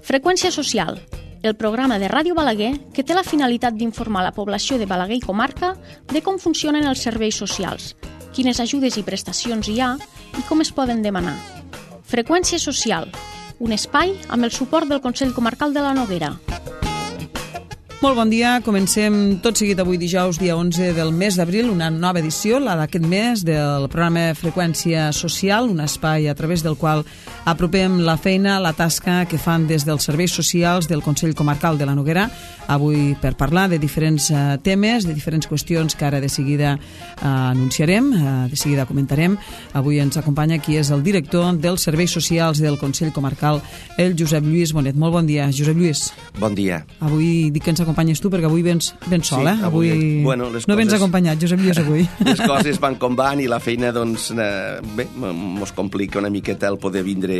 Freqüència social, el programa de Ràdio Balaguer que té la finalitat d'informar la població de Balaguer i comarca de com funcionen els serveis socials, quines ajudes i prestacions hi ha i com es poden demanar. Freqüència social, un espai amb el suport del Consell Comarcal de la Noguera. Molt bon dia, comencem tot seguit avui dijous, dia 11 del mes d'abril, una nova edició, la d'aquest mes, del programa Freqüència Social, un espai a través del qual apropem la feina, la tasca que fan des dels serveis socials del Consell Comarcal de la Noguera, avui per parlar de diferents temes, de diferents qüestions que ara de seguida anunciarem, de seguida comentarem. Avui ens acompanya qui és el director dels serveis socials del Consell Comarcal, el Josep Lluís Bonet. Molt bon dia, Josep Lluís. Bon dia. Avui dic que ens acompanyes tu perquè avui vens sol, sí, avui bueno, no vens acompanyat, Josep Lluís, avui. Les coses van com van i la feina, doncs, bé, mos complica una miqueta el poder vindre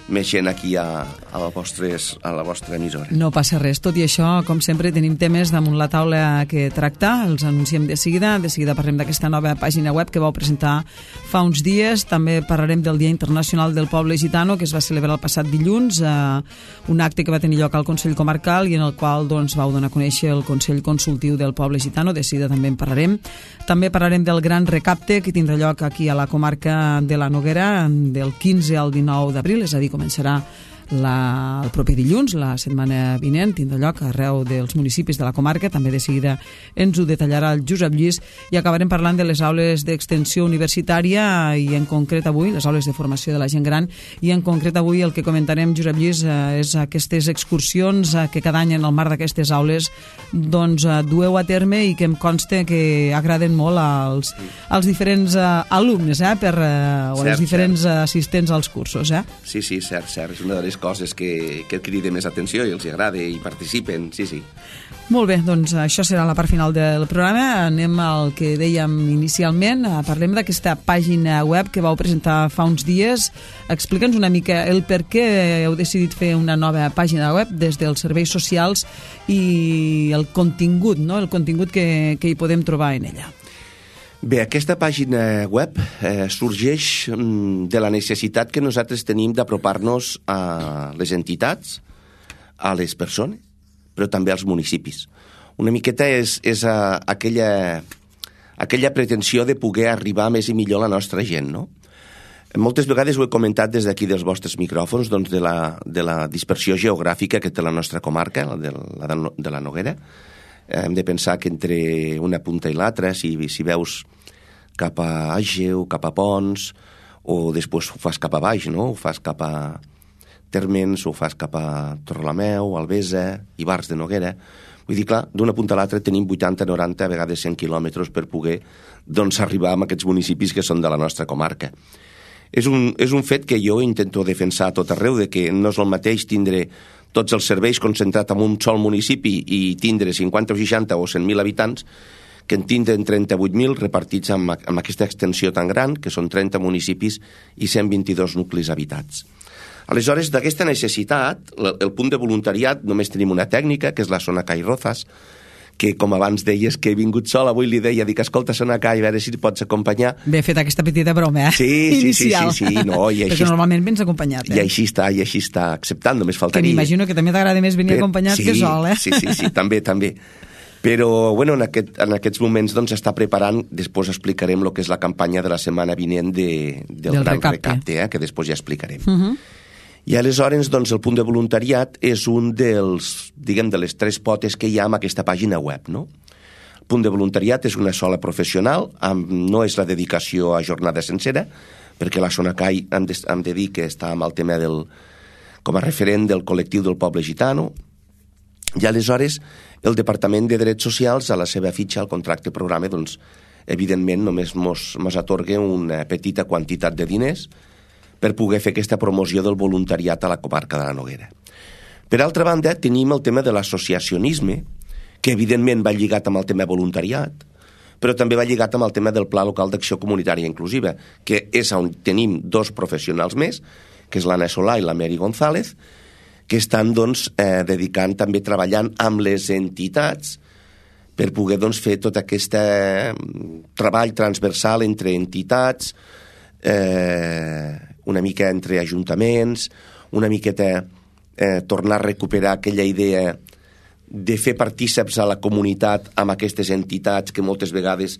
més gent aquí a la vostra emissora. No passa res, tot i això, com sempre, tenim temes damunt la taula que tractar, els anunciem de seguida parlem d'aquesta nova pàgina web que vau presentar fa uns dies, també parlarem del Dia Internacional del Poble Gitano, que es va celebrar el passat dilluns, un acte que va tenir lloc al Consell Comarcal i en el qual doncs, vau donar a conèixer el Consell Consultiu del Poble Gitano, de seguida també en parlarem. També parlarem del gran recapte que tindrà lloc aquí a la comarca de la Noguera del 15 al 19 d'abril, és a dir, començarà el proper dilluns, la setmana vinent, tindrà lloc arreu dels municipis de la comarca, també de seguida ens ho detallarà el Josep Lluís, i acabarem parlant de les aules d'extensió universitària i en concret avui, les aules de formació de la gent gran, i en concret avui el que comentarem, Josep Lluís, és aquestes excursions que cada any en el marc d'aquestes aules doncs dueu a terme i que em consta que agraden molt als diferents alumnes, o als diferents assistents als cursos. Sí, cert, és una de les coses que crida més atenció i els agrada i participen, sí. Molt bé, doncs això serà la part final del programa. Anem al que dèiem inicialment, parlem d'aquesta pàgina web que vau presentar fa uns dies. Explica'ns una mica el per què heu decidit fer una nova pàgina web des dels serveis socials i el contingut, no? El contingut que hi podem trobar en ella. Bé, aquesta pàgina web sorgeix de la necessitat que nosaltres tenim d'apropar-nos a les entitats, a les persones, però també als municipis. Una miqueta és aquella pretensió de poder arribar més i millor a la nostra gent, no? Moltes vegades ho he comentat des d'aquí dels vostres micròfons, doncs de la dispersió geogràfica que té la nostra comarca, de la Noguera. Hem de pensar que entre una punta i l'altra, si veus cap a Àgeu, cap a Pons, o després ho fas cap a baix, no? Ho fas cap a Térmens, ho fas cap a Torrelameu, Albesa, Ivars de Noguera. Vull dir, clar, d'una punta a l'altra tenim 80, 90, a vegades 100 quilòmetres per poder doncs, arribar a aquests municipis que són de la nostra comarca. És un fet que jo intento defensar a tot arreu, de que no és el mateix tindre tots els serveis concentrats en un sol municipi i tindre 50 o 60 o 100.000 habitants que en tindren 38.000 repartits amb aquesta extensió tan gran, que són 30 municipis i 122 nuclis habitats. Aleshores, d'aquesta necessitat, el punt de voluntariat, només tenim una tècnica, que és la Sonacay Rozas, que com abans deies que he vingut sol, avui li deia, dic, escolta, Sonacay, a veure si pots acompanyar. Bé, fet aquesta petita broma, inicial. Sí, no, i així... Perquè normalment vens acompanyat, I així està acceptant, només faltaria... Que m'imagino que també t'agrada més venir acompanyat que sol, Sí, també. Però, bueno, en aquests moments doncs està preparant, després explicarem el que és la campanya de la setmana vinent del gran recapte, que després ja explicarem. I aleshores, doncs, el punt de voluntariat és un de les tres potes que hi ha en aquesta pàgina web, no? El punt de voluntariat és una sola professional, no és la dedicació a jornada sencera, perquè la Sonacay hem de dir que està amb el tema com a referent del col·lectiu del poble gitano, i aleshores el Departament de Drets Socials, a la seva fitxa, al contracte programa, doncs, evidentment, només mos atorga una petita quantitat de diners per poder fer aquesta promoció del voluntariat a la comarca de la Noguera. Per altra banda, tenim el tema de l'associacionisme, que evidentment va lligat amb el tema voluntariat, però també va lligat amb el tema del Pla Local d'Acció Comunitària Inclusiva, que és on tenim dos professionals més, que és l'Anna Solà i la Mary González, que estan doncs, dedicant també treballant amb les entitats per poder doncs, fer tot aquest treball transversal entre entitats, una mica entre ajuntaments, una miqueta tornar a recuperar aquella idea de fer partíceps a la comunitat amb aquestes entitats que moltes vegades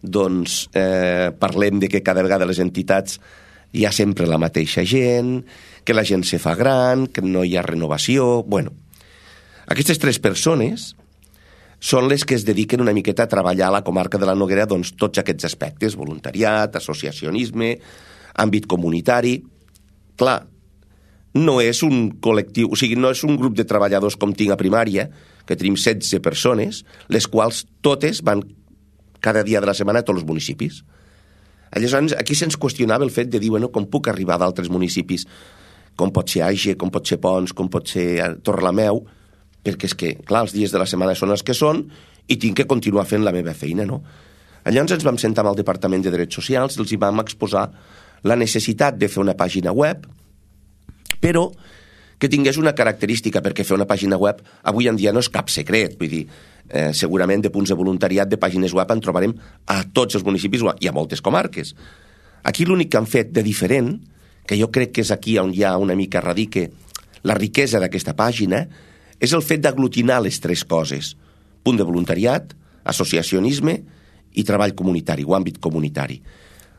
doncs, parlem de que cada vegada les entitats hi ha sempre la mateixa gent, que la gent se fa gran, que no hi ha renovació... Bueno, aquestes 3 persones són les que es dediquen una miqueta a treballar a la comarca de la Noguera doncs, tots aquests aspectes, voluntariat, associacionisme, àmbit comunitari... Clar, no és un col·lectiu, o sigui, no és un grup de treballadors com tinc a primària, que tenim 16 persones, les quals totes van cada dia de la setmana a tots els municipis. Aleshores, aquí se'ns qüestionava el fet de dir, bueno, com puc arribar d'altres municipis, com pot ser Aige, com pot ser Pons, com pot ser Torrelameu, perquè és que, clar, els dies de la setmana són els que són i tinc que continuar fent la meva feina, no? Llavors ens vam sentar amb el Departament de Drets Socials i els hi vam exposar la necessitat de fer una pàgina web, però que tingués una característica, perquè fer una pàgina web avui en dia no és cap secret, vull dir, segurament de punts de voluntariat de pàgines web en trobarem a tots els municipis i a moltes comarques. Aquí l'únic que han fet de diferent, que jo crec que és aquí on hi ha una mica radique la riquesa d'aquesta pàgina, és el fet d'aglutinar les 3 coses: punt de voluntariat, associacionisme i treball comunitari o àmbit comunitari.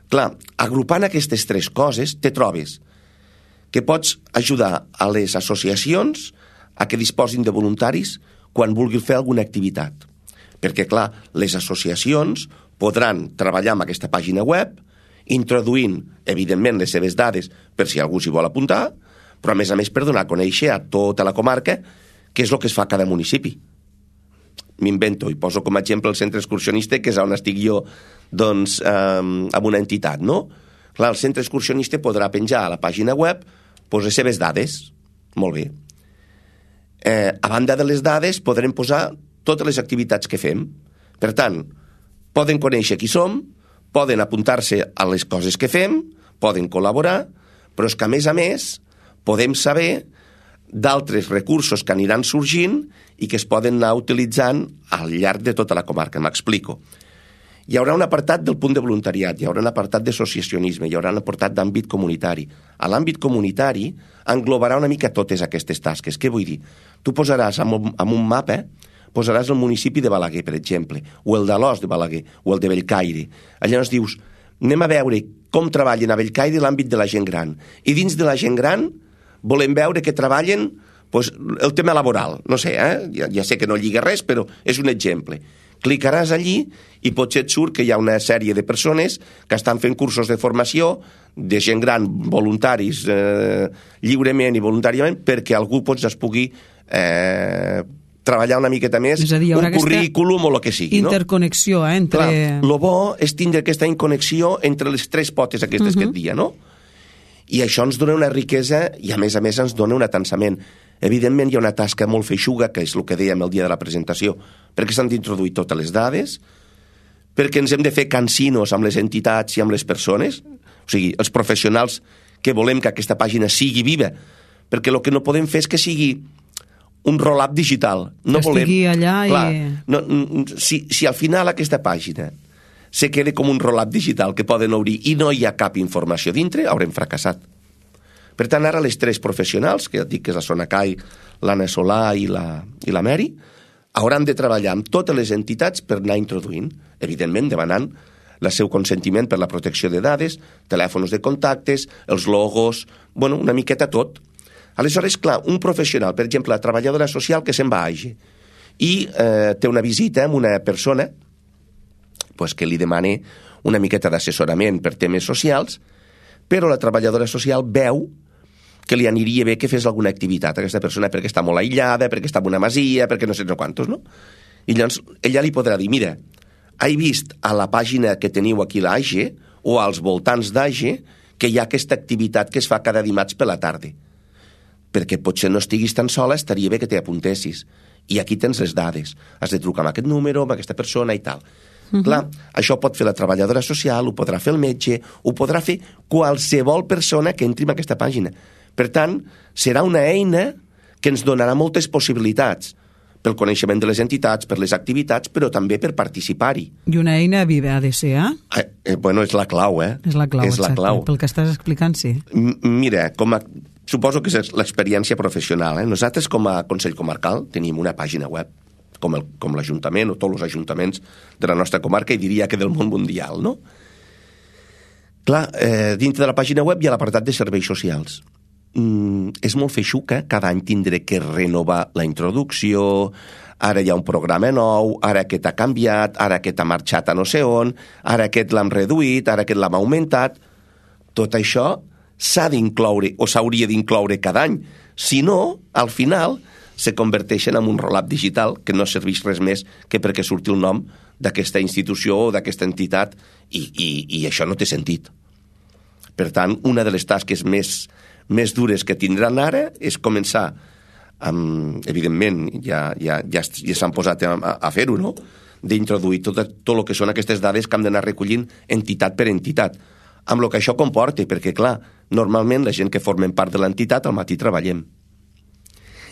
Clar, agrupant aquestes 3 coses te trobes que pots ajudar a les associacions a que disposin de voluntaris quan vulguin fer alguna activitat. Perquè, clar, les associacions podran treballar amb aquesta pàgina web, introduint, evidentment, les seves dades per si algú s'hi vol apuntar, però, a més, per donar a conèixer a tota la comarca què és el que es fa a cada municipi. M'invento i poso com a exemple el centre excursionista, que és on estic jo, doncs, amb una entitat, no? Clar, el centre excursionista podrà penjar a la pàgina web les seves dades. Molt bé. A banda de les dades, podrem posar totes les activitats que fem. Per tant, poden conèixer qui som, poden apuntar-se a les coses que fem, poden col·laborar, però és que, a més, podem saber d'altres recursos que aniran sorgint i que es poden anar utilitzant al llarg de tota la comarca. M'explico. Hi haurà un apartat del punt de voluntariat, hi haurà un apartat d'associacionisme, hi haurà un apartat d'àmbit comunitari. A l'àmbit comunitari englobarà una mica totes aquestes tasques. Què vull dir? Tu posaràs en un mapa, posaràs el municipi de Balaguer, per exemple, o el d'Alòs de Balaguer, o el de Bellcaire. Llavors dius, anem a veure com treballen a Bellcaire l'àmbit de la gent gran. I dins de la gent gran volem veure que treballen el tema laboral. No sé, ja sé que no lliga res, però és un exemple. Clicaràs allí i potser et surt que hi ha una sèrie de persones que estan fent cursos de formació de gent gran, voluntaris, lliurement i voluntàriament, perquè algú es pugui treballar una miqueta més, un currículum o el que sigui. Interconnexió, entre... Clar, el bo és tindre aquesta inconnexió entre les 3 potes aquestes que et dia, no? I això ens dona una riquesa i, a més, ens dona un atansament. Evidentment, hi ha una tasca molt feixuga, que és el que dèiem el dia de la presentació, perquè s'han d'introduir totes les dades, perquè ens hem de fer cansinos amb les entitats i amb les persones, o sigui, els professionals que volem que aquesta pàgina sigui viva, perquè el que no podem fer és que sigui un roll-up digital. No que estigui allà clar, si al final aquesta pàgina se queda com un roll-up digital que poden obrir i no hi ha cap informació dintre, haurem fracassat. Per tant, ara les 3 professionals, que ja et dic que és la Sona Cai, l'Anna Solà i la Mary, hauran de treballar amb totes les entitats per anar introduint, evidentment demanant el seu consentiment per la protecció de dades, telèfons de contactes, els logos, bueno, una miqueta tot. Aleshores, clar, un professional, per exemple, la treballadora social que se'n va a Aige i té una visita amb una persona que li demana una miqueta d'assessorament per temes socials, però la treballadora social veu que li aniria bé que fes alguna activitat a aquesta persona perquè està molt aïllada, perquè està en una masia, perquè no sé quantos, no? I llavors ella li podrà dir, mira, he vist a la pàgina que teniu aquí a l'Aige o als voltants d'Aige que hi ha aquesta activitat que es fa cada dimarts per la tarda. Perquè potser no estiguis tan sola, estaria bé que t'hi apuntessis. I aquí tens les dades. Has de trucar amb aquest número, amb aquesta persona i tal. Clar, això pot fer la treballadora social, ho podrà fer el metge, ho podrà fer qualsevol persona que entri en aquesta pàgina. Per tant, serà una eina que ens donarà moltes possibilitats pel coneixement de les entitats, per les activitats, però també per participar-hi. I una eina viva ha de ser, Bueno, és la clau, És la clau, exacte. Pel que estàs explicant, sí. Mira, suposo que és l'experiència professional. Nosaltres, com a Consell Comarcal, tenim una pàgina web, com l'Ajuntament o tots els ajuntaments de la nostra comarca, i diria que del món mundial, no? Clar, dintre de la pàgina web hi ha l'apartat de serveis socials. És molt feixuca, cada any tindré que renovar la introducció, ara hi ha un programa nou, ara aquest ha canviat, ara aquest ha marxat a no sé on, ara aquest l'hem reduït, ara aquest l'hem augmentat. Tot això s'ha d'incloure o s'hauria d'incloure cada any. Si no, al final se converteixen en un roll-up digital que no serveix res més que perquè surti el nom d'aquesta institució o d'aquesta entitat i això no té sentit. Per tant, una de les tasques més dures que tindran ara és començar evidentment ja s'han posat a fer-ho, no? D'introduir tot el que són aquestes dades que hem d'anar recollint entitat per entitat, amb el que això comporta, perquè clar, normalment la gent que formen part de l'entitat al matí treballem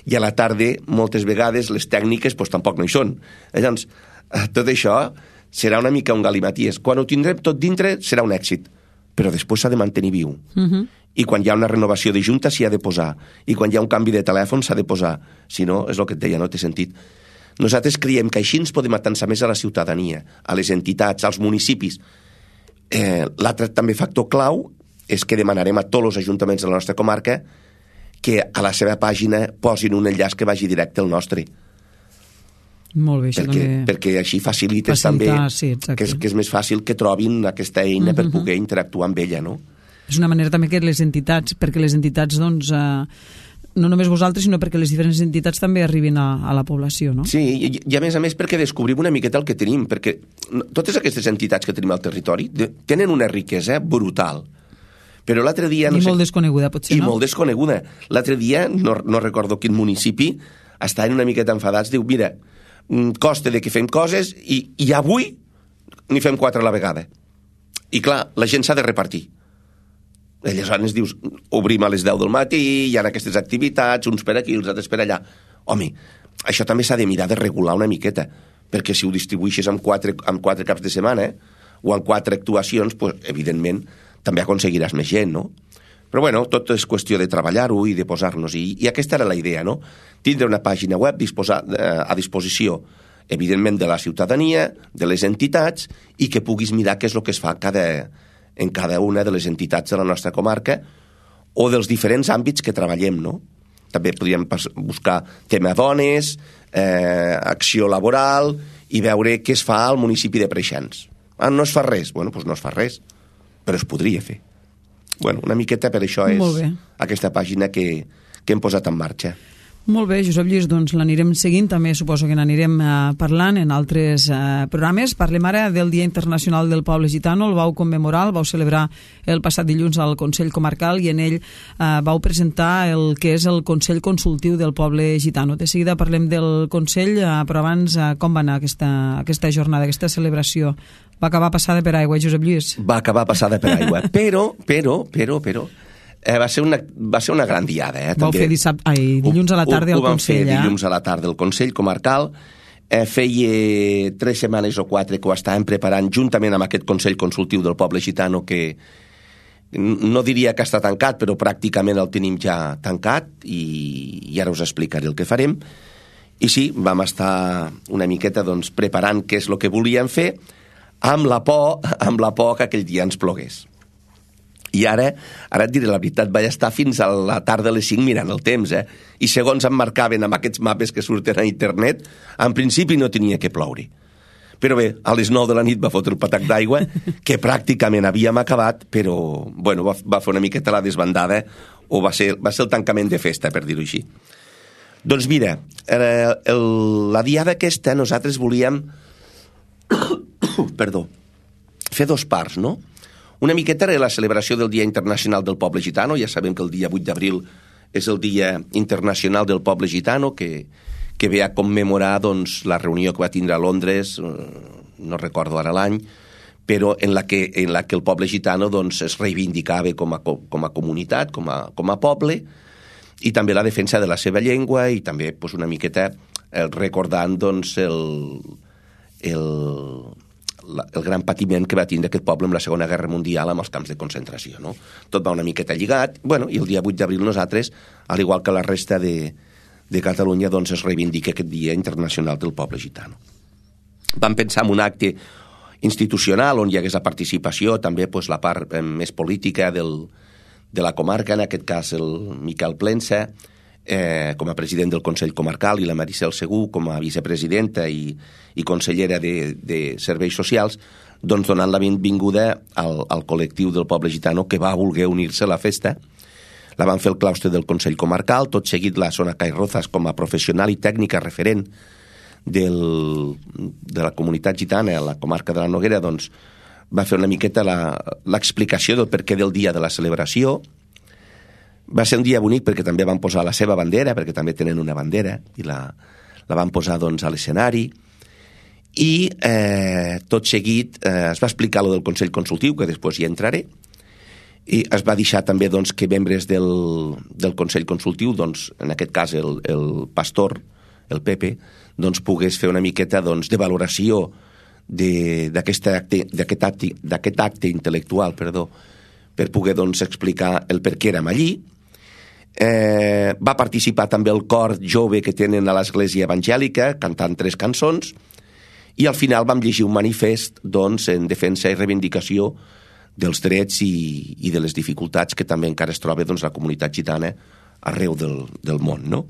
i a la tarda moltes vegades les tècniques doncs, tampoc no hi són. Llavors, tot això serà una mica un galimaties. Quan ho tindrem tot dintre serà un èxit, però després s'ha de mantenir viu. I quan hi ha una renovació de junta s'hi ha de posar, i quan hi ha un canvi de telèfon s'ha de posar. Si no, és el que et deia, no té sentit. Nosaltres creiem que així ens podem atansar més a la ciutadania, a les entitats, als municipis. L'altre també factor clau és que demanarem a tots els ajuntaments de la nostra comarca que a la seva pàgina posin un enllaç que vagi directe al nostre. Molt bé, això també... Perquè així facilites també que és més fàcil que trobin aquesta eina per poder interactuar amb ella, no? És una manera també que les entitats, perquè les entitats, doncs, no només vosaltres, sinó perquè les diferents entitats també arribin a la població, no? Sí, i a més perquè descobrim una miqueta el que tenim, perquè totes aquestes entitats que tenim al territori tenen una riquesa brutal. Però l'altre dia... I molt desconeguda, potser, no? I molt desconeguda. L'altre dia, no recordo quin municipi, estaven una miqueta enfadats, diu, mira, costa de que fem coses i avui n'hi fem 4 a la vegada. I clar, la gent s'ha de repartir. Aleshores dius, obrim a les 10 del matí, hi ha aquestes activitats, uns per aquí, els altres per allà. Home, això també s'ha de mirar de regular una miqueta, perquè si ho distribueixes en 4 caps de setmana o en 4 actuacions, pues, evidentment, també aconseguiràs més gent, no? Però bueno, tot és qüestió de treballar-ho i de posar-nos. I aquesta era la idea, no? Tindre una pàgina web a disposició, evidentment, de la ciutadania, de les entitats, i que puguis mirar què és el que es fa en cada una de les entitats de la nostra comarca o dels diferents àmbits que treballem, no? També podríem buscar tema dones, acció laboral i veure què es fa al municipi de Preixans. No es fa res? Bueno, doncs no es fa res, però es podria fer. Bueno, una miqueta per això és aquesta pàgina que hem posat en marxa. Molt bé, Josep Lluís, doncs l'anirem seguint, també suposo que n'anirem parlant en altres programes. Parlem ara del Dia Internacional del Poble Gitano, el vau commemorar, el vau celebrar el passat dilluns al Consell Comarcal i en ell vau presentar el que és el Consell Consultiu del Poble Gitano. De seguida parlem del Consell, però abans com va anar aquesta jornada, aquesta celebració? Va acabar passada per aigua, Josep Lluís? Va acabar passada per aigua, però va ser una gran diada. Vau fer dilluns a la tarda al Consell. Ho vam fer dilluns a la tarda al Consell Comarcal. Feia 3 setmanes o 4 que ho estàvem preparant juntament amb aquest Consell Consultiu del Poble Gitano, que no diria que està tancat, però pràcticament el tenim ja tancat i ara us explicaré el que farem. I sí, vam estar una miqueta preparant què és el que volíem fer, amb la por que aquell dia ens plogués. I ara et diré la veritat, vaig estar fins a la tarda a les 5 mirant el temps, i segons em marcaven amb aquests mapes que surten a internet, en principi no tenia que ploure. Però bé, a les 9 de la nit va fotre el patac d'aigua, que pràcticament havíem acabat, però bueno, va fer una miqueta la desbandada, o va ser el tancament de festa, per dir-ho així. Doncs mira, la diada aquesta nosaltres volíem fer 2 parts, no? Una miqueta era la celebració del Dia Internacional del Poble Gitano. Ja sabem que el dia 8 d'abril és el Dia Internacional del Poble Gitano, que ve a commemorar la reunió que va tindre a Londres, no recordo ara l'any, però en la que el poble gitano es reivindicava com a comunitat, com a poble, i també la defensa de la seva llengua i també una miqueta recordant el gran patiment que va tindre aquest poble en la Segona Guerra Mundial amb els camps de concentració, no? Tot va una miqueta lligat, i el dia 8 d'abril nosaltres, al igual que la resta de Catalunya, doncs es reivindica aquest Dia Internacional del Poble Gitano. Vam pensar en un acte institucional on hi hagués la participació, també la part més política de la comarca, en aquest cas el Miquel Plensa, com a president del Consell Comarcal, i la Maricel Segur com a vicepresidenta i consellera de Serveis Socials, doncs donant la benvinguda al col·lectiu del poble gitano que va voler unir-se a la festa. La van fer el claustre del Consell Comarcal, tot seguit la Sona Cairrozas com a professional i tècnica referent de la comunitat gitana a la comarca de la Noguera, doncs va fer una miqueta l'explicació del perquè del dia de la celebració. Va ser un dia bonic perquè també van posar la seva bandera, perquè també tenen una bandera, i la van posar doncs, a l'escenari. I tot seguit es va explicar lo del Consell Consultiu, que després hi entraré, i es va deixar també doncs, que membres del Consell Consultiu, doncs, en aquest cas el pastor, el Pepe, doncs, pogués fer una miqueta doncs, de valoració d'aquest acte intel·lectual, per poder doncs, explicar el per què érem allí. Va participar també el cor jove que tenen a l'Església Evangèlica, cantant 3 cançons, i al final vam llegir un manifest doncs, en defensa i reivindicació dels drets i de les dificultats que també encara es troba doncs, la comunitat gitana arreu del món, no?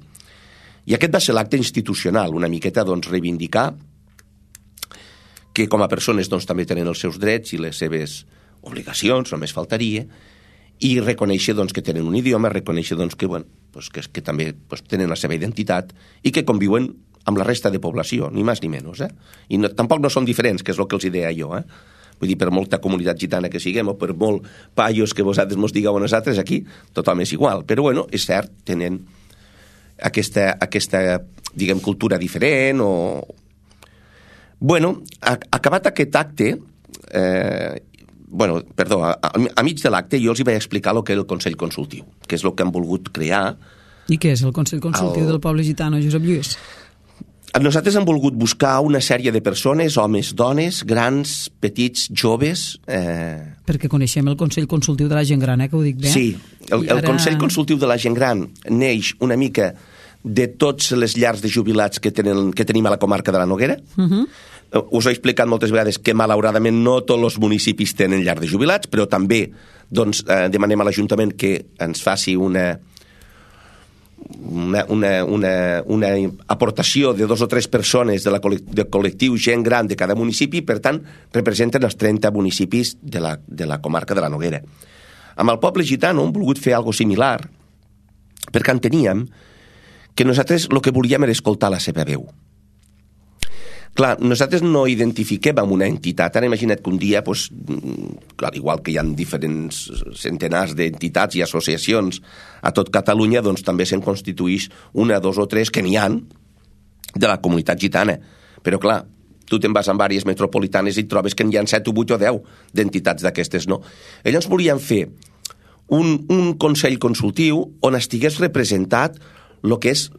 I aquest va ser l'acte institucional, una miqueta doncs, reivindicar que com a persones doncs, també tenen els seus drets i les seves obligacions, només faltaria, i reconèixer doncs, que tenen un idioma, reconèixer doncs, que també tenen la seva identitat i que conviuen amb la resta de població, ni més ni menys. I tampoc no són diferents, que és el que els deia jo. Vull dir, per molta comunitat gitana que siguem o per molt paios que vosaltres mos digueu a nosaltres, aquí tothom és igual. Però, és cert, tenen aquesta diguem, cultura diferent o... acabat aquest acte... a mig de l'acte jo els hi vaig explicar el que era el Consell Consultiu, que és el que han volgut crear. I què és el Consell Consultiu del Poble Gitano, Josep Lluís? Nosaltres hem volgut buscar una sèrie de persones, homes, dones, grans, petits, joves... Perquè coneixem el Consell Consultiu de la Gent Gran, que ho dic bé? Sí, el Consell Consultiu de la Gent Gran neix una mica de totes les llars de jubilats que tenim a la comarca de la Noguera. Us he explicat moltes vegades que malauradament no tots els municipis tenen llar de jubilats, però també doncs, demanem a l'Ajuntament que ens faci una aportació de 2 o 3 persones del col·lectiu gent gran de cada municipi, per tant representen els 30 municipis de la comarca de la Noguera. Amb el poble gitano hem volgut fer alguna similar perquè enteníem que nosaltres el que volíem era escoltar la seva veu. Clar, nosaltres no identifiquem amb una entitat. Ara imagina't que un dia, al igual que hi ha diferents centenars d'entitats i associacions a tot Catalunya, doncs també se'n constituïx 1, 2 o 3 que n'hi ha de la comunitat gitana. Però clar, tu te'n vas amb àrees metropolitanes i trobes que n'hi ha 7 o 8 o 10 d'entitats d'aquestes, no? Llavors volíem fer un consell consultiu on estigués representat el que és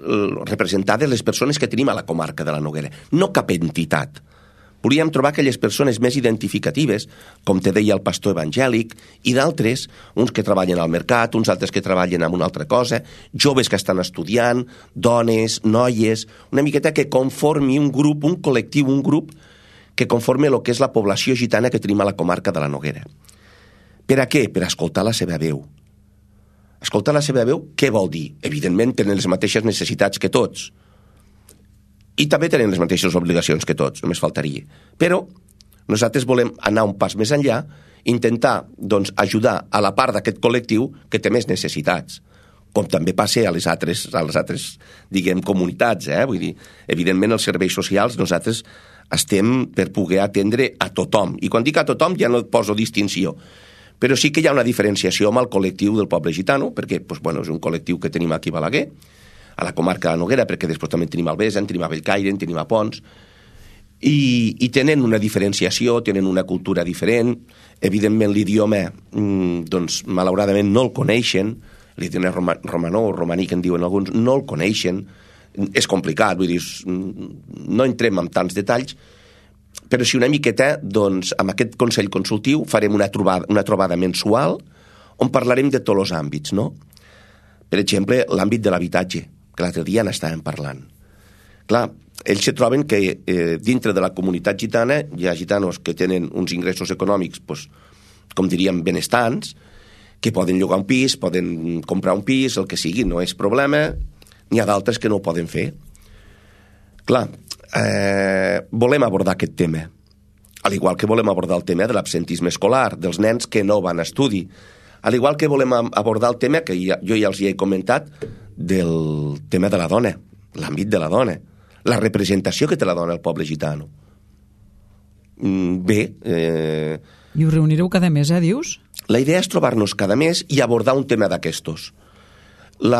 representades les persones que tenim a la comarca de la Noguera, no cap entitat. Volíem trobar aquelles persones més identificatives, com te deia el pastor evangèlic, i d'altres, uns que treballen al mercat, uns altres que treballen en una altra cosa, joves que estan estudiant, dones, noies, una miqueta que conformi un grup, un col·lectiu, un grup que conforme el que és la població gitana que tenim a la comarca de la Noguera. Per a què? Per escoltar la seva veu. Escoltar la seva veu, què vol dir? Evidentment tenen les mateixes necessitats que tots. I també tenen les mateixes obligacions que tots, només faltaria. Però nosaltres volem anar un pas més enllà, intentar doncs, ajudar a la part d'aquest col·lectiu que té més necessitats, com també passa a les altres diguem, comunitats. Vull dir, evidentment, els serveis socials nosaltres estem per poder atendre a tothom. I quan dic a tothom ja no poso distinció. Però sí que hi ha una diferenciació amb el col·lectiu del poble gitano, perquè és un col·lectiu que tenim aquí a Balaguer, a la comarca de la Noguera, perquè després també tenim a Albesa, tenim a Bellcaire, tenim a Pons, i tenen una diferenciació, tenen una cultura diferent. Evidentment l'idioma, doncs, malauradament no el coneixen, l'idioma romanó o romaní que en diuen alguns, no el coneixen, és complicat, vull dir, no entrem en tants detalls, però sí una miqueta, doncs, amb aquest Consell Consultiu farem una trobada mensual on parlarem de tots els àmbits, no? Per exemple, l'àmbit de l'habitatge, que l'altre dia n'estàvem parlant. Clar, ells se troben que dintre de la comunitat gitana hi ha gitanos que tenen uns ingressos econòmics, doncs, com diríem, benestants, que poden llogar un pis, poden comprar un pis, el que sigui, no és problema. N'hi ha d'altres que no ho poden fer. Clar, volem abordar aquest tema, al igual que volem abordar el tema de l'absentisme escolar, dels nens que no van a estudi, al igual que volem abordar el tema que jo ja els hi he comentat, del tema de la dona, l'àmbit de la dona, la representació que té la dona al poble gitano. Bé... I us reunireu cada mes, dius? La idea és trobar-nos cada mes i abordar un tema d'aquestos. I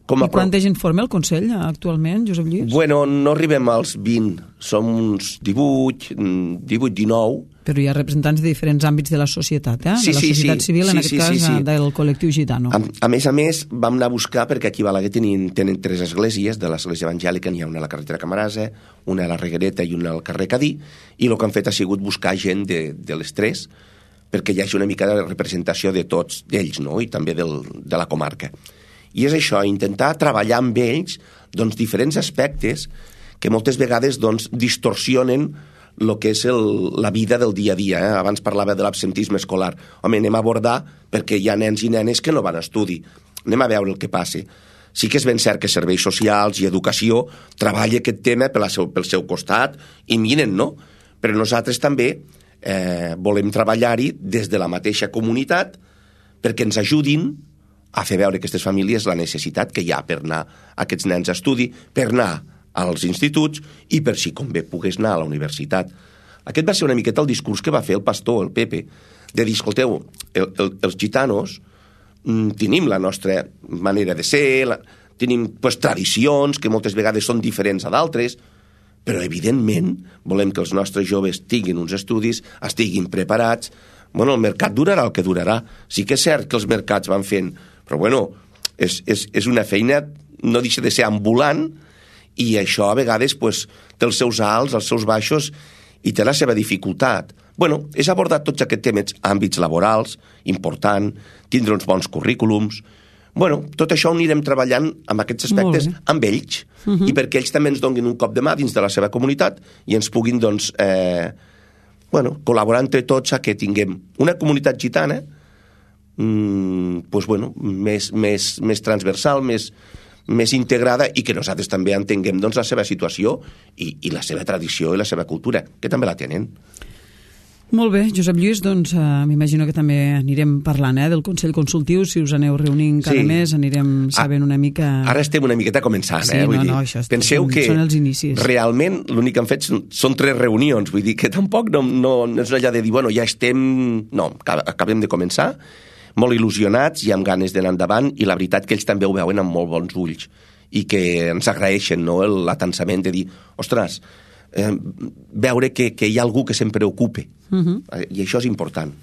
quanta gent forma el Consell actualment, Josep Lluís? Bueno, no arribem als 20, som uns 18, 19. Però hi ha representants de diferents àmbits de la societat, Sí, de la societat civil, en aquest cas del col·lectiu gitano. A més, vam anar a buscar, perquè aquí a Balaguer tenen 3 esglésies, de l'església evangèlica n'hi ha una a la carretera Camarasa, una a la Reguereta i una al carrer Cadí, i el que han fet ha sigut buscar gent de les 3, perquè hi hagi una mica de representació de tots d'ells, no? I també de la comarca. I és això, intentar treballar amb ells doncs, diferents aspectes que moltes vegades doncs, distorsionen el que és la vida del dia a dia. Abans parlava de l'absentisme escolar. Home, anem a abordar perquè hi ha nens i nenes que no van a estudi. Anem a veure el que passa. Sí que és ben cert que serveis socials i educació treballa aquest tema pel seu costat i miren, no? Però nosaltres també volem treballar-hi des de la mateixa comunitat perquè ens ajudin a fer veure a aquestes famílies la necessitat que hi ha per anar aquests nens a estudi, per anar als instituts i per si convé pogués anar a la universitat. Aquest va ser una miqueta el discurs que va fer el pastor, el Pepe, de dir, escolteu, els gitanos tenim la nostra manera de ser, tenim tradicions que moltes vegades són diferents a d'altres, però evidentment volem que els nostres joves tinguin uns estudis, estiguin preparats. Bueno, el mercat durarà el que durarà. Sí que és cert que els mercats van fent, però bueno, és una feina, no deixa de ser ambulant, i això a vegades té els seus alts, els seus baixos, i té la seva dificultat. Bueno, és abordar tots aquests temes, àmbits laborals, important, tindre uns bons currículums. Bueno, tot això ho anirem treballant amb aquests aspectes amb ells, i perquè ells també ens donin un cop de mà dins de la seva comunitat i ens puguin, doncs, col·laborar entre tots a que tinguem una comunitat gitana més transversal, més integrada i que nosaltres també entenguem doncs, la seva situació i la seva tradició i la seva cultura, que també la tenen. Molt bé, Josep Lluís, doncs m'imagino que també anirem parlant del Consell Consultiu, si us aneu reunint cada mes, anirem sabent una mica... Ara estem una miqueta començant, vull dir, penseu que són els inicis. Realment l'únic que han fet són 3 reunions, vull dir que tampoc no és allà de dir, bueno, ja estem... No, acabem de començar, molt il·lusionats i amb ganes d'anar endavant, i la veritat que ells també ho veuen amb molt bons ulls i que ens agraeixen, no?, l'atansament de dir, ostres, veure que hi ha algú que se'n preocupe, i això és important.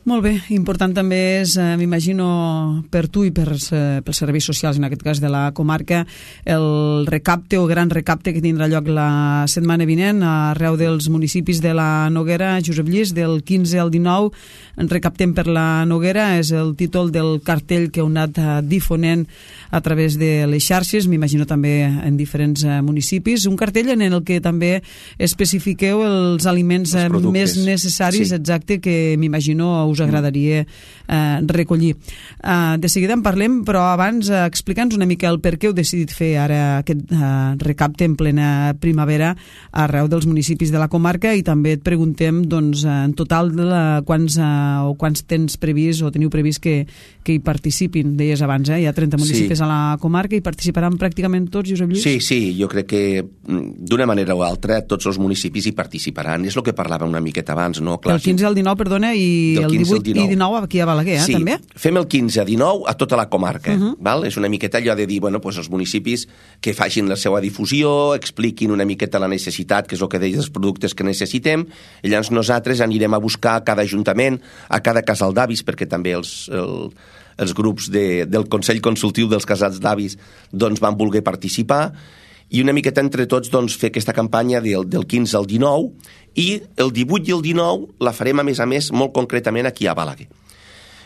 Molt bé, important també és, m'imagino, per tu i pels serveis socials, en aquest cas de la comarca, el recapte o gran recapte que tindrà lloc la setmana vinent arreu dels municipis de la Noguera. Josep Lluís, del 15 al 19, recaptem per la Noguera, és el títol del cartell que heu anat difonent a través de les xarxes, m'imagino també en diferents municipis. Un cartell en el que també especifiqueu els aliments més necessaris, exacte, que m'imagino us agradaria recollir. De seguida en parlem, però abans explica'ns una mica el per què heu decidit fer ara aquest recapte en plena primavera arreu dels municipis de la comarca, i també et preguntem, doncs, en total quants tens previst o teniu previst que hi participin. Deies abans, hi ha 30 municipis a la comarca, i participaran pràcticament tots, Josep Lluís? Sí, jo crec que d'una manera o altra tots els municipis hi participaran. És el que parlava una miqueta abans, no? Clar, el 15 al 19, perdona, i el 18 i 19 aquí a Balaguer, també? Sí, fem el 15 a 19 a tota la comarca. Val? És una miqueta allò de dir, bueno, doncs els municipis que facin la seva difusió, expliquin una miqueta la necessitat, que és el que deies, els productes que necessitem, i llavors nosaltres anirem a buscar a cada ajuntament, a cada casal d'avis, perquè també els grups del Consell Consultiu dels Casals d'Avis doncs van voler participar, i una miqueta entre tots doncs, fer aquesta campanya del 15 al 19, i el 18 i el 19 la farem, a més, molt concretament aquí a Balaguer.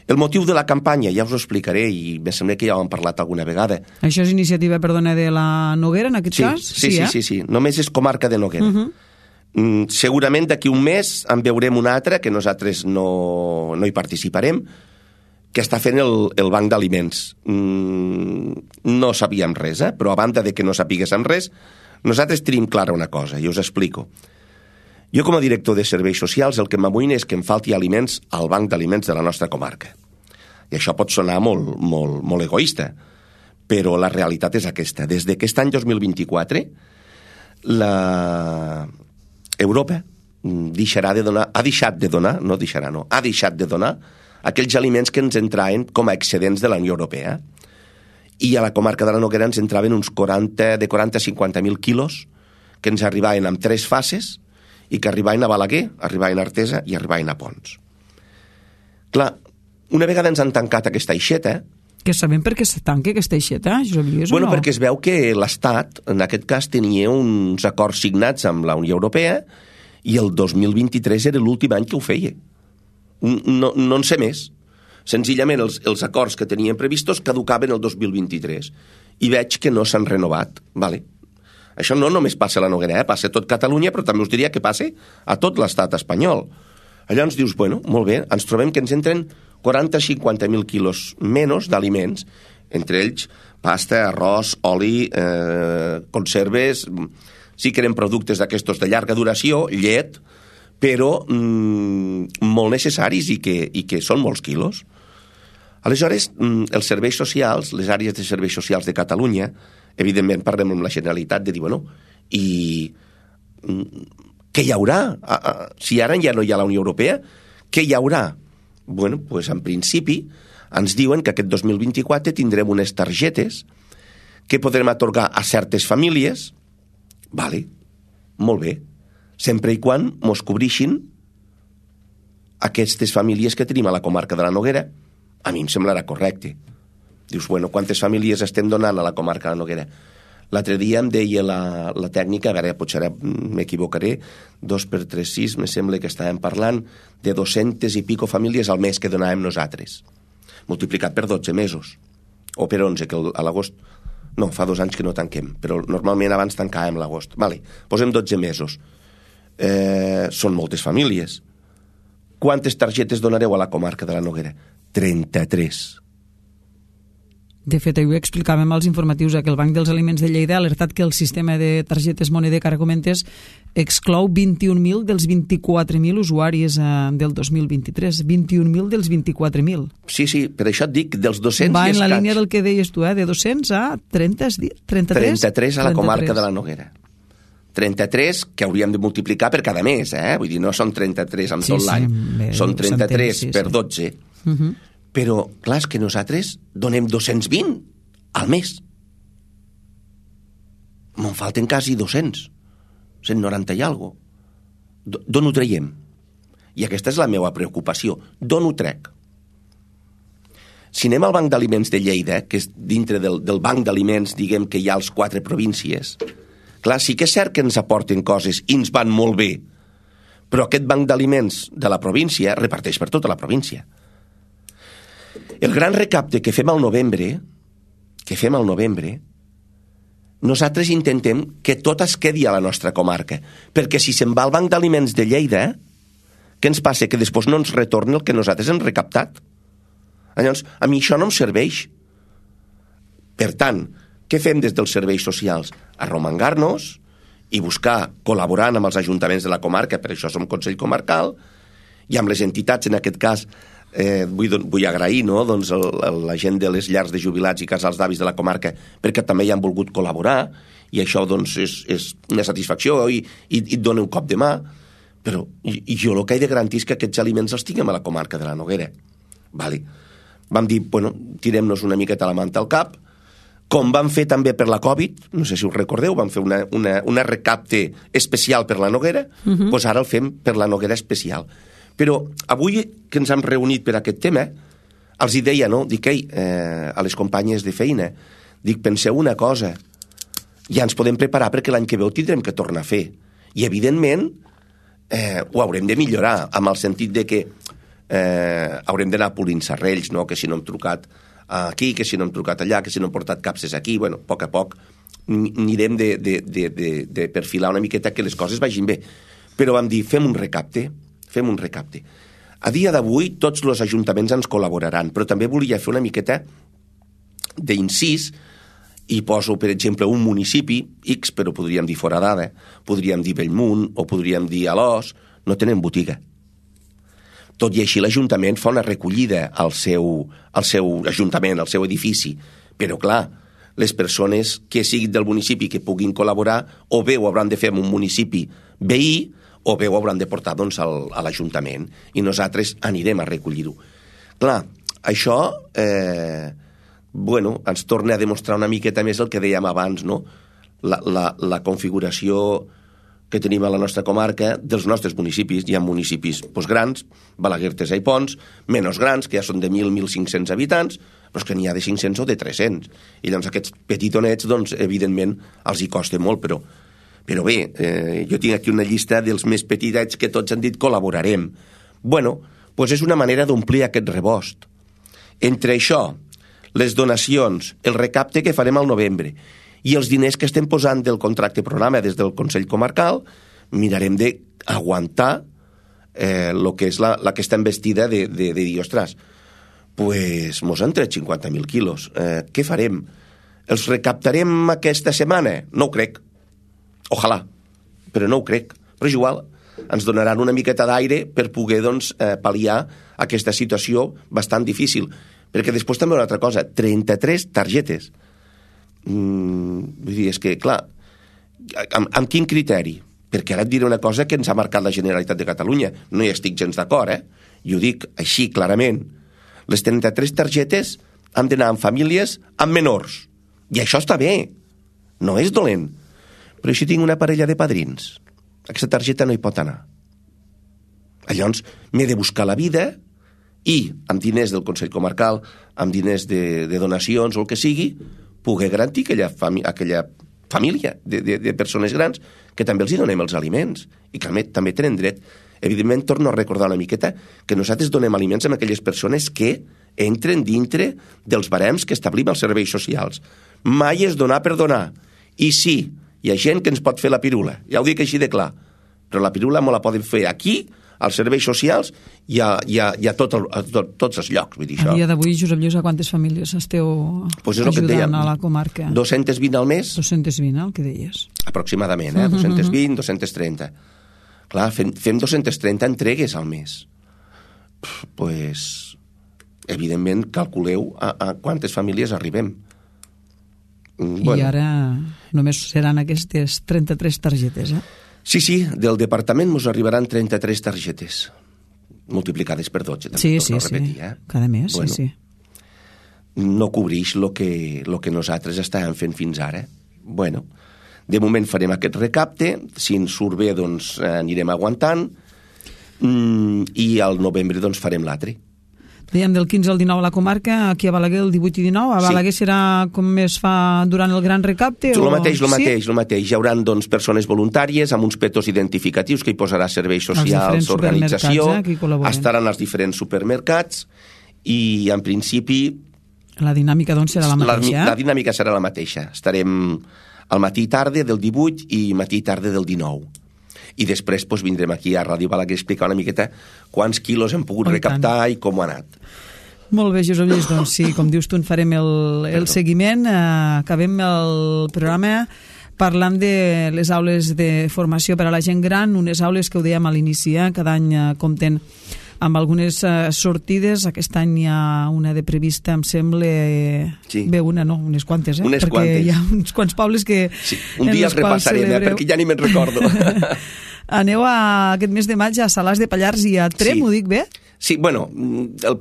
El motiu de la campanya ja us ho explicaré, i me sembla que ja ho hem parlat alguna vegada. Això és iniciativa, perdona, de la Noguera, en aquest cas? Sí. Només és comarca de Noguera. Segurament d'aquí un mes en veurem una altra, que nosaltres no hi participarem, que està fent el banc d'aliments. No sabíem res, però a banda de que no sapiguéssim res, nosaltres tenim clara una cosa, i us explico. Jo, com a director de serveis socials, el que m'amoïna és que em falti aliments al banc d'aliments de la nostra comarca. I això pot sonar molt egoista, però la realitat és aquesta. Des d'aquest any 2024, Europa ha deixat de donar aquells aliments que ens entraven com a excedents de la Unió Europea. I a la comarca de la Noguera ens entraven uns 40 a 50.000 quilos que ens arribaven en 3 fases i que arribaven a Balaguer, arribaven a Artesa i arribaven a Pons. Clar, una vegada ens han tancat aquesta aixeta... Que sabem per què se tanca aquesta aixeta, Josep Lluís, o no? Perquè es veu que l'Estat, en aquest cas, tenia uns acords signats amb la Unió Europea i el 2023 era l'últim any que ho feia. No en sé més. Senzillament els acords que tenien previstos caducaven el 2023 i veig que no s'han renovat. Vale. Això no només passa a la Noguera, passa a tot Catalunya, però també us diria que passa a tot l'estat espanyol. Allà ens dius, bueno, molt bé, ens trobem que ens entren 40 a 50.000 quilos menys d'aliments, entre ells pasta, arròs, oli, conserves, sí que eren productes d'aquestos de llarga duració, llet, però molt necessaris i que són molts quilos. Aleshores, els serveis socials, les àrees de serveis socials de Catalunya, evidentment parlem amb la Generalitat de dir, bueno, i què hi haurà? Si ara ja no hi ha la Unió Europea, què hi haurà? Bueno, doncs en principi ens diuen que aquest 2024 tindrem unes targetes que podrem atorgar a certes famílies, vale, molt bé, sempre i quan mos cobrixin aquestes famílies que tenim a la comarca de la Noguera. A mi em semblarà correcte. Dius, bueno, quantes famílies estem donant a la comarca de la Noguera? L'altre dia em deia la tècnica, a veure, potser ara m'equivocaré, 2 per 3, 6, me sembla que estàvem parlant de 200 i pico famílies al mes que donàvem nosaltres, multiplicat per 12 mesos, o per 11, que a l'agost... No, fa 2 anys que no tanquem, però normalment abans tancàvem l'agost. Vale, posem 12 mesos. Són moltes famílies. Quantes targetes donareu a la comarca de la Noguera? 33. De fet, ahir ho explicàvem als informatius que el Banc dels Aliments de Lleida ha alertat que el sistema de targetes moneder que ara comentes exclou 21.000 dels 24.000 usuaris del 2023. 21.000 dels 24.000. Sí, per això et dic, dels 200 va en la línia del que deies tu, de 200 a 33? 33 a la comarca de la Noguera. 33 que hauríem de multiplicar per cada mes, Vull dir, no són 33 amb tot l'any, són 33 per 12. Però, clar, és que nosaltres donem 220 al mes. Me'n falten quasi 200. 190 i alguna cosa. D'on ho traiem? I aquesta és la meva preocupació. D'on ho trec? Si anem al Banc d'Aliments de Lleida, que és dintre del Banc d'Aliments, diguem que hi ha les 4 províncies, clar, sí que és cert que ens aporten coses i ens van molt bé, però aquest Banc d'Aliments de la província reparteix per tota la província. El gran recapte que fem al novembre, nosaltres intentem que tot es quedi a la nostra comarca, perquè si se'n va al Banc d'Aliments de Lleida, què ens passa? Que després no ens retorna el que nosaltres hem recaptat. Llavors, a mi això no em serveix. Per tant, què fem des dels serveis socials? Arromangar-nos i buscar, col·laborant amb els ajuntaments de la comarca, per això som Consell Comarcal, i amb les entitats, en aquest cas, vull agrair la gent de les llars de jubilats i casals d'avis de la comarca perquè també hi han volgut col·laborar i això és una satisfacció i et dona un cop de mà, però jo el que he de garantir és que aquests aliments els tinguem a la comarca de la Noguera. Vale. Vam dir, tirem-nos una miqueta la manta al cap, com vam fer també per la Covid, no sé si us recordeu, vam fer una recapte especial per la Noguera, doncs ara el fem per la Noguera especial. Però avui que ens hem reunit per aquest tema, els hi deia, no? Dic, a les companyes de feina, dic, penseu una cosa, ja ens podem preparar perquè l'any que ve ho tindrem que tornar a fer. I, evidentment, ho haurem de millorar, amb el sentit de que haurem d'anar polint serrells, no? Que si no hem trucat aquí, que si no hem trucat allà, que si no hem portat capses aquí, bueno, a poc anirem de perfilar una miqueta que les coses vagin bé. Però vam dir, fem un recapte. A dia d'avui tots els ajuntaments ens col·laboraran, però també volia fer una miqueta d'incís i poso, per exemple, un municipi X, però podríem dir Foradada, podríem dir Bellmunt o podríem dir Alòs, no tenen botiga. Tot i així l'Ajuntament fa una recollida al seu ajuntament, al seu edifici, però clar, les persones que siguin del municipi que puguin col·laborar o bé ho hauran de fer en un municipi veí o bé ho hauran de portar doncs, a l'Ajuntament i nosaltres anirem a recollir-ho. Clar, això ens torna a demostrar una miqueta més el que dèiem abans, no? La configuració que tenim a la nostra comarca dels nostres municipis. Hi ha municipis grans, Balaguer, Tesa i Pons, menys grans, que ja són de 1.000-1.500 habitants, però és que n'hi ha de 500 o de 300. I doncs aquests petitonets, doncs, evidentment, els hi costa molt, però bé, jo tinc aquí una llista dels més petitets que tots han dit col·laborarem. Bueno, doncs és una manera d'omplir aquest rebost. Entre això, les donacions, el recapte que farem al novembre i els diners que estem posant del contracte programa des del Consell Comarcal, mirarem d'aguantar el que és aquesta embestida de dir, ostres, pues mos han tret 50.000 quilos. Què farem? Els recaptarem aquesta setmana? No ho crec. Ojalà, però no ho crec. Però és igual, ens donaran una miqueta d'aire per poder pal·liar aquesta situació bastant difícil. Perquè després també una altra cosa, 33 targetes. Vull dir, és que, clar, amb quin criteri? Perquè ara et diré una cosa que ens ha marcat la Generalitat de Catalunya. No hi estic gens d'acord, I ho dic així, clarament. Les 33 targetes han d'anar amb famílies amb menors. I això està bé. No és dolent. Però si tinc una parella de padrins, aquesta targeta no hi pot anar. Llavors, m'he de buscar la vida i, amb diners del Consell Comarcal, amb diners de donacions o el que sigui, poder garantir aquella família de persones grans que també els hi donem els aliments i que també tenen dret. Evidentment, torno a recordar una miqueta que nosaltres donem aliments a aquelles persones que entren dintre dels barems que establim als serveis socials. Mai és donar per donar. I sí, hi ha gent que ens pot fer la pirula, ja ho dic així de clar, però la pirula me la poden fer aquí, als serveis socials i a tots els llocs. Vull dir, a dia d'avui, Josep Lluís, a quantes famílies esteu ajudant a la comarca? 220 al mes. 220, el que deies. Aproximadament, 220, 230. Clar, fem 230 entregues al mes. Pues, evidentment, calculeu a quantes famílies arribem. I ara només seran aquestes 33 targetes, Sí, del departament ens arribaran 33 targetes, multiplicades per 12, també torno a repetir. Cada mes, sí. No cobreix el que nosaltres estàvem fent fins ara. Bueno, de moment farem aquest recapte, si ens surt bé, doncs anirem aguantant, i al novembre doncs farem l'altre. Dèiem del 15 al 19 a la comarca, aquí a Balaguer el 18 i 19, a Balaguer serà com es fa durant el gran recapte? El mateix. Hi haurà doncs, persones voluntàries amb uns petos identificatius que hi posarà serveis socials, organització, estaran als diferents supermercats i en principi la dinàmica doncs serà la mateixa. La dinàmica serà la mateixa. Estarem al matí i tarda del 18 i matí i tarda del 19. I després vindrem aquí a Ràdio Balaguer a explicar una miqueta quants quilos hem pogut recaptar i com ha anat. Molt bé, Josep Lluís, doncs sí, com dius tu, en farem el seguiment. Acabem el programa parlant de les aules de formació per a la gent gran, unes aules que ho dèiem a l'inici, cada any compten amb algunes sortides. Aquest any hi ha una de prevista, em sembla... Sí. Bé, unes quantes, Unes perquè quantes. Hi ha uns quants pobles que... Sí. Un dia els repassarem, perquè ja ni me'n recordo. Aneu aquest mes de maig a Salàs de Pallars i a Trem, ho dic bé? Sí, bueno,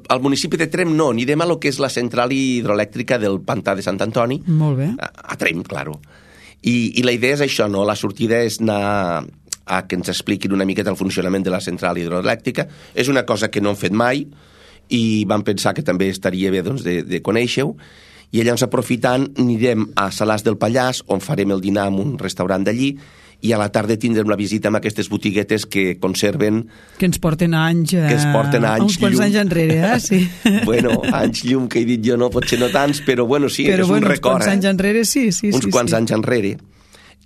al municipi de Trem no, anirem a lo que és la central hidroelèctrica del Pantà de Sant Antoni. Molt bé. A Trem, claro. I la idea és això, no? La sortida és anar a que ens expliquin una miqueta el funcionament de la central hidroelèctrica. És una cosa que no hem fet mai i vam pensar que també estaria bé doncs, de conèixer-ho. I llavors, aprofitant, anirem a Salàs del Pallars, on farem el dinar en un restaurant d'allí, i a la tarda tindrem la visita amb aquestes botiguetes que conserven... Que ens porten anys... Que ens porten anys uns quants anys enrere, sí. Bueno, anys llum, que he dit jo, no, potser no tants, però bueno, sí, però, és un record. Uns quants anys enrere, sí. Uns quants anys enrere.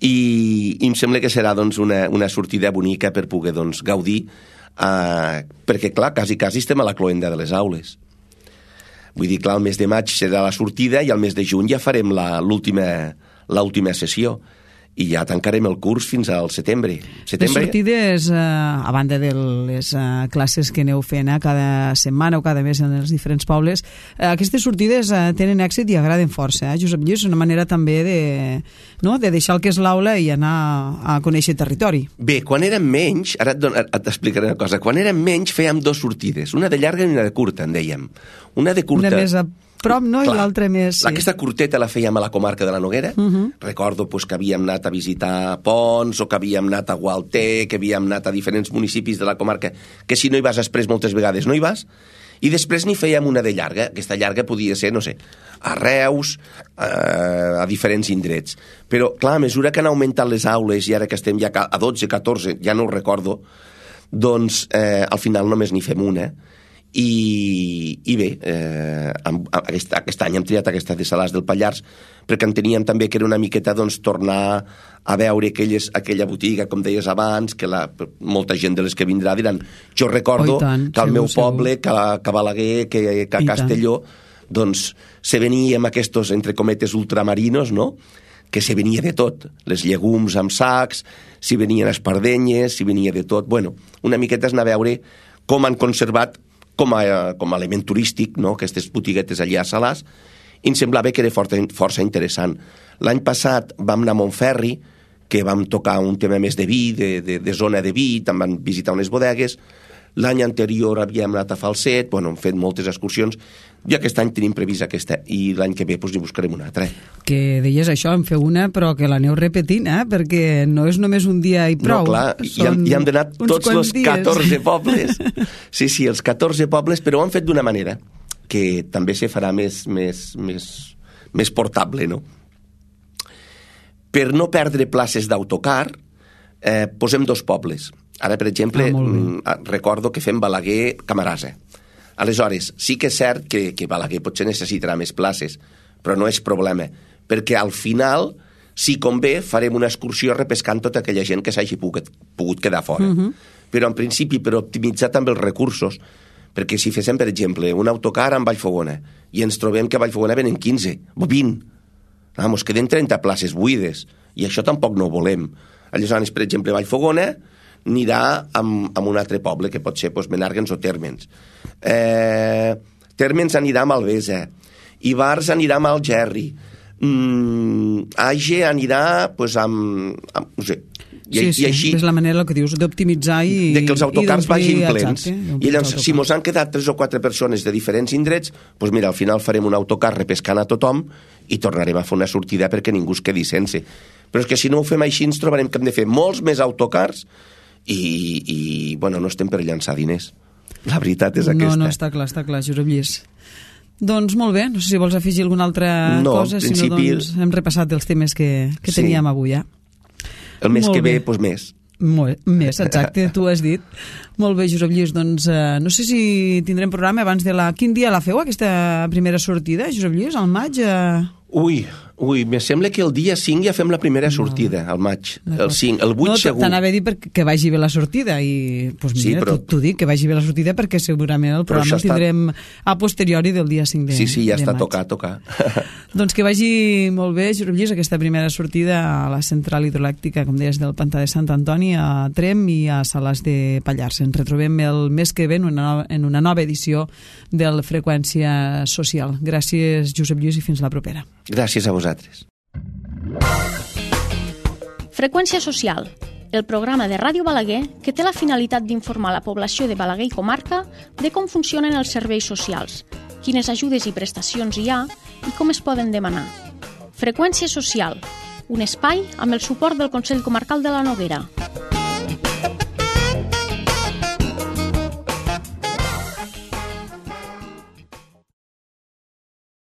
I em sembla que serà doncs, una sortida bonica per poder doncs, gaudir, perquè, clar, quasi estem a la cloenda de les aules. Vull dir, clar, el mes de maig serà la sortida i al mes de juny ja farem l'última sessió. I ja tancarem el curs fins al setembre. Les sortides, a banda de les classes que aneu fent cada setmana o cada mes en els diferents pobles, aquestes sortides tenen èxit i agraden força. Josep Lluís, és una manera també de deixar el que és l'aula i anar a conèixer territori. Bé, quan érem menys, ara t'explicaré una cosa, quan érem menys fèiem 2 sortides, una de llarga i una de curta, en dèiem. Una de curta... Una més a prop, no? Clar, i l'altra més... Sí. Aquesta curteta la fèiem a la comarca de la Noguera. Recordo pues, que havíem anat a visitar Pons, o que havíem anat a Gualter, que havíem anat a diferents municipis de la comarca, que si no hi vas després moltes vegades no hi vas. I després n'hi fèiem una de llarga. Aquesta llarga podia ser, no sé, a Reus, a diferents indrets. Però, clar, a mesura que han augmentat les aules, i ara que estem ja a 12, 14, ja no ho recordo, doncs al final només n'hi fem una. I bé, aquest any hem triat aquesta de Salàs del Pallars perquè enteníem també que era una miqueta doncs, tornar a veure aquella botiga, com deies abans, que molta gent de les que vindrà diran, jo recordo que al meu poble, que a Balaguer, que a Castelló, doncs se venia amb aquests, entre cometes, ultramarinos, no?, que se venia de tot, les llegums amb sacs, si venien espardenyes, si venia de tot. Bueno, una miqueta és anar a veure com han conservat com a element turístic, no?, aquestes botiguetes allà a Salàs, i em semblava que era força interessant. L'any passat vam anar a Montferri, que vam tocar un tema més de vi, de zona de vi, també vam visitar unes bodegues. L'any anterior havíem anat a Falset, bueno, hem fet moltes excursions, i aquest any tenim previst aquesta, i l'any que ve hi buscarem una altra. Que deies això, en feu una, però que l'aneu repetint, perquè no és només un dia i prou. No, clar, hi hem d'anar tots els 14 pobles. Sí, els 14 pobles, però ho han fet d'una manera que també se farà més portable, no? Per no perdre places d'autocar, posem 2 pobles. Ara, per exemple, recordo que fem Balaguer-Camarasa. Aleshores, sí que és cert que Balaguer potser necessitarà més places, però no és problema, perquè al final, si convé, farem una excursió repescant tota aquella gent que s'hagi pogut quedar fora. Però, en principi, per optimitzar també els recursos, perquè si féssim, per exemple, un autocar amb Vallfogona i ens trobem que a Vallfogona venen 15 o 20, ens queden 30 places buides, i això tampoc no ho volem. Aleshores, per exemple, Vallfogona anirà amb un altre poble, que pot ser Menàrguens o Térmens. Térmens anirà a Malvesa, Ivars anirà a Algerri, Age anirà amb no sé. I així, és la manera que dius d'optimitzar i de que els autocars vagin plens. I llavors, si mos han quedat 3 o 4 persones de diferents indrets, doncs mira, al final farem un autocar repescant a tothom i tornarem a fer una sortida perquè ningú es quedi sense. Però és que si no ho fem així ens trobarem que hem de fer molts més autocars i bueno, no estem per llançar diners. La veritat és aquesta. No, està clar, Josep Lluís. Doncs molt bé, no sé si vols afegir alguna altra cosa, si no, doncs hem repassat els temes que teníem avui, ja. El mes que ve, doncs més. Més, exacte, tu has dit. Molt bé, Josep Lluís, doncs no sé si tindrem programa abans de Quin dia la feu, aquesta primera sortida, Josep Lluís, al maig? Ui, me sembla que el dia 5 ja fem la primera sortida, al maig. El 5, el 8 segur. T'anava a dir que vagi bé la sortida i, doncs mira, sí, però... t'ho dic, que vagi bé la sortida perquè segurament el programa el tindrem a posteriori del dia 5 de maig. Sí, ja està a tocar. Doncs que vagi molt bé, Josep Lluís, aquesta primera sortida a la central hidroelèctrica, com deies, del Pantà de Sant Antoni, a Tremp i a Salàs de Pallars. Ens retrobem el mes que ve en una nova edició del Freqüència Social. Gràcies, Josep Lluís, i fins la propera. Gràcies a vosaltres. Freqüència Social, el programa de Ràdio Balaguer que té la finalitat d'informar la població de Balaguer i comarca de com funcionen els serveis socials, quines ajudes i prestacions hi ha i com es poden demanar. Freqüència Social, un espai amb el suport del Consell Comarcal de la Noguera.